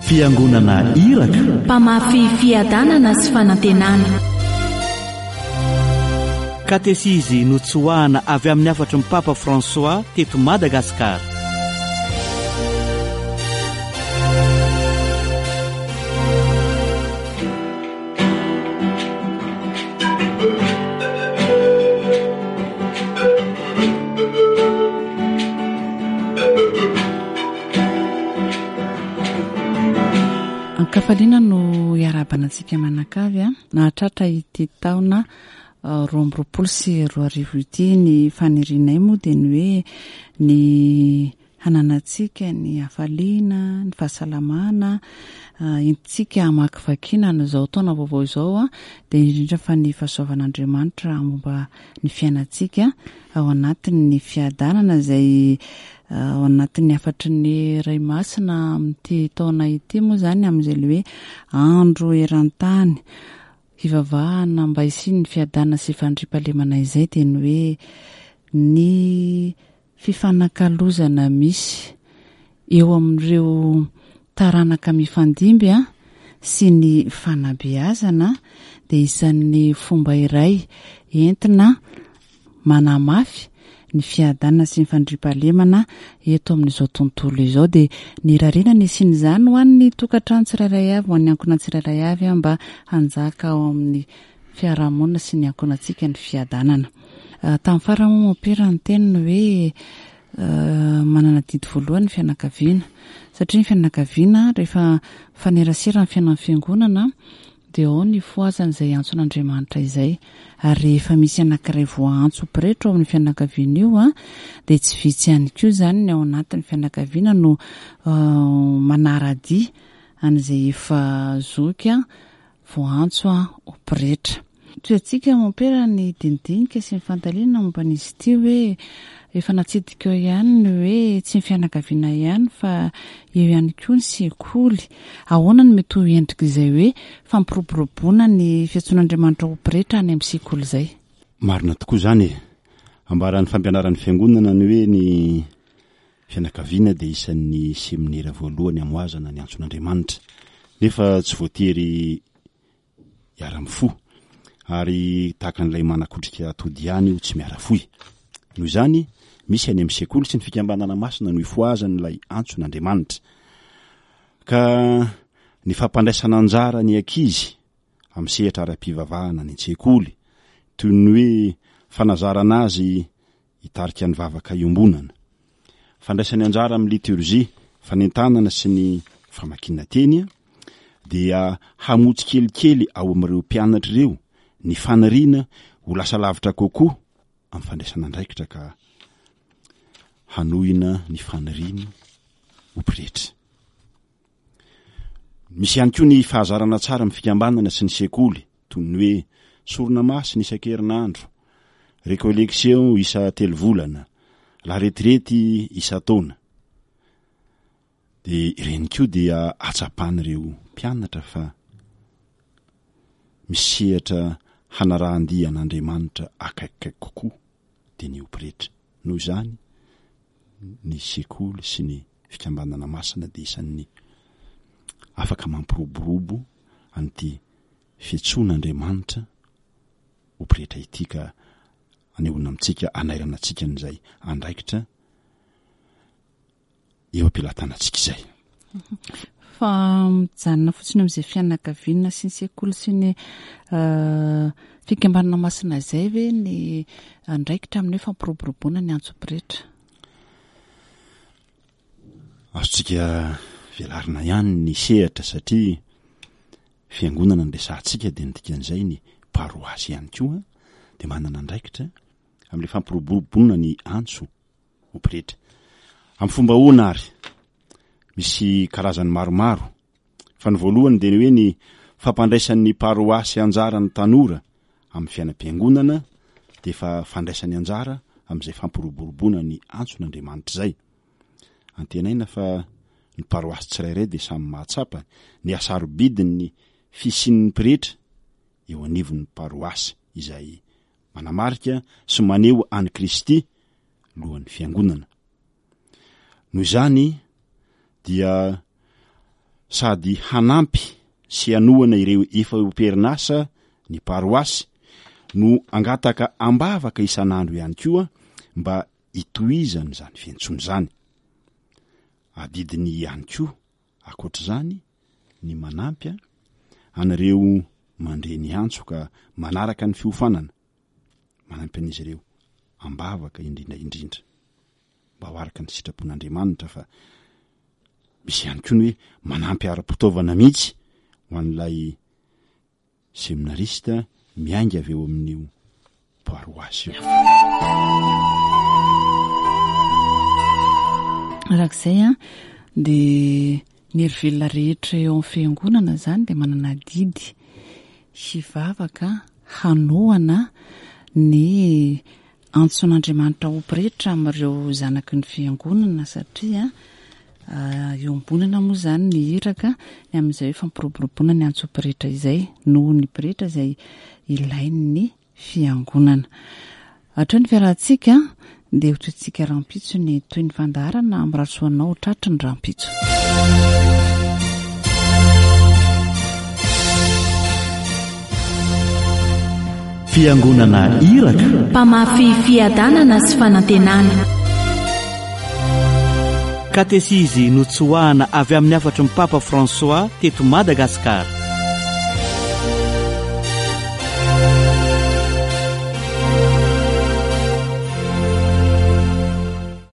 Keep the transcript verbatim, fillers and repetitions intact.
Fiangonana iraka Mpamafy fiadanana sy fanantenana. Katesizy notsoahana avy amin'ny hafatry ny Papa François teto Madagasikara. Ankafaliana no iarahabana antsika manakavy a nahatratra ity taona roa amby roapolo sy roa arivo ity. Ny fanirianay moa dia ny hoe ny hananantsika ny hafaliana, ny fahasalamana, entintsika hamakivakiana an'izao taona vaovao izao a dia indrindra fa ny fahasoavan'Andriamanitra momba ny fiainantsika ao anatin'ny fiadanana izay ao anatin'ny hafatry ny Ray Masina amin'ity taona ity moa izany, amin'izay le hoe andro eran-tany hivavahana mba hisian'ny fiadanana sy fandriampahalemana izay, dia ny hoe ny fifanakalozana misy eo amin'ireo taranaka mifandimby a sy ny fanabeazana dia isan'ny fomba iray entina manamafy ny fiadanana sy ny fandriampahalemana eto amin'izao tontolo izao. Dia ny rarina ny hisian'izany ho an'ny tokantrano tsirairay avy, ho an'ny ankohonana tsirairay avy, mba hanjaka ao amin'ny fiarahamonina sy ny ankohonantsika ny fiadanana. Tamin'ny farany moa mompera ny teniny hoe manana didy voalohany ny fianakaviana, satria ny fianakaviana rehefa mifanerasera amin'ny fiainan'ny fiangonana dia ao ny fohazana izay antson'Andriamanitra izay. Ary rehefa misy anankiray voaantso pretra ao amin'ny fianakaviana io a dia tsy vitsy ihany koa izany ny ao anatin'ny fianakaviana no manara-dia an'izay efa zoky a voaantso a ho pretra. Toy antsika mompera ny dinidinika sy ny fanontaniana momba an'izy ity hoe efa natsidika eo ihany ny hoe tsy ny fianakaviana ihany fa eo ihany koa ny sekoly. Ahoana no mety ho endrika izay hoe fampiroboroboana ny fiantsoan'Andriamanitra ho pretra any amin'ny sekoly izay? Marina tokoa izany e. Ambaran'ny fampianaran'ny fiangonana ny hoe ny fianakaviana dia isan'ny seminera voalohany hamoazana ny antson'Andriamanitra, nefa tsy voatery hiara-mifoha, ary tahaka an'ilay manakotrika atody ihany io tsy miara-fohy. Noho izany, misy any amin'ny sekoly sy ny fikambanana masina no ifohazan'ilay antson'Andriamanitra. Ka ny fampandraisana anjara ny ankizy amin'ny sehatra ara-pivavahana any an-tsekoly, toy ny hoe fanazarana azy hitarika ny vavaka iombonana, fandraisany anjara amin'ny liturgie, fanentanana sy ny famakiana teny, dia hamotsy kelikely ao amin'ireo mpianatra ireo ny faniriana ho lasa lavitra kokoa amin'ny fandraisana andraikitra ka hanohina ny faniriany ho pretra. Misy ihany koa ny fahazarana tsara amin'ny fikambanana sy ny sekoly, toy ny hoe sorona masina isan-kerinandro, récollection isa telo volana, la retraite isan-taona. Dia ireny koa dia atsapan'ireo mpianatra fa misy sehatra hanarahan-dia an'Andriamanitra akaikikaiky kokoa dia ny ho pretra. Noho izany, ny sekoly sy ny fikambanana masina dia isan'ny afaka mampiroborobo an'ity fiantsoan'Andriamanitra ho pretra ity, ka anehoana amintsika, anairana antsika an'izay andraikitra eo am-pelatanantsika izay. Fa mijanona fotsiny amin'izay fianakaviana sy ny sekoly sy ny fikambanana masina izay ve ny andraikitra amin'ny hoe fampiroboroboana ny antso pretra? Azontsika velarina ihany ny sehatra, satria fiangonana ny resahantsika dia ny dikan'izay ny paroasy ihany koa dia manana andraikitra amin'ilay fampiroboroboana ny antso ho pretra. Amin'ny fomba ahoana ary? Misy karazany maromaro, fa ny voalohany dia ny hoe ny fampandraisan'ny paroasy anjara ny tanora amin'ny fiainam-piangonana dia efa fandraisany anjara amin'izay fampiroboroboana ny antson'Andriamanitra izay. Antenaina fa ny paroasy tsirairay dia samy mahatsapa ny hasarobidin'ny fisian'ny pretra eo anivon'ny paroasy izay manamarika sy maneho an'i Kristy lohan'ny fiangonana. Noho izany dia Sady hanampy sy hanohana ireo efa eo am-perinasa ny paroasy no hangataka am-bavaka isan'andro ihany koa mba hitohizan'izany fiantsoana izany. Adidiny ihany koa ankoatr'izany ny manampy an'ireo mandre ny antso ka manaraka ny fiofanana, manampy an'izy ireo am-bavaka indrindra indrindra mba ho araka ny sitrapon'Andriamanitra fa misy ihany koa ny hoe manampy ara-pitaovana mihitsy ho an'ilay seminarista miainga avy eo amin'io paroasy io. Araka izay an, dia ny hery velona rehetra eo amin'ny fiangonana izany dia manana adidy hivavaka hanohana ny antson'Andriamanitra ho pretra amin'ireo zanaky ny fiangonana satria iombonana moa izany ny iraka ny amin'izay hoe fampiroboroboana ny antso pretra izay noho ny pretra izay ilain'ny fiangonana. Hatreo ny fiarahantsika dia ho tohintsika rahampitso ny toy ny fandaharana amin'ny rasoanao tratry ny rahampitso. Fiangonana iraka Mpamafy fiadanana sy fanantenana. Katesizy notsoahana avy amin'ny hafatry ny Papa François teto Madagasikara.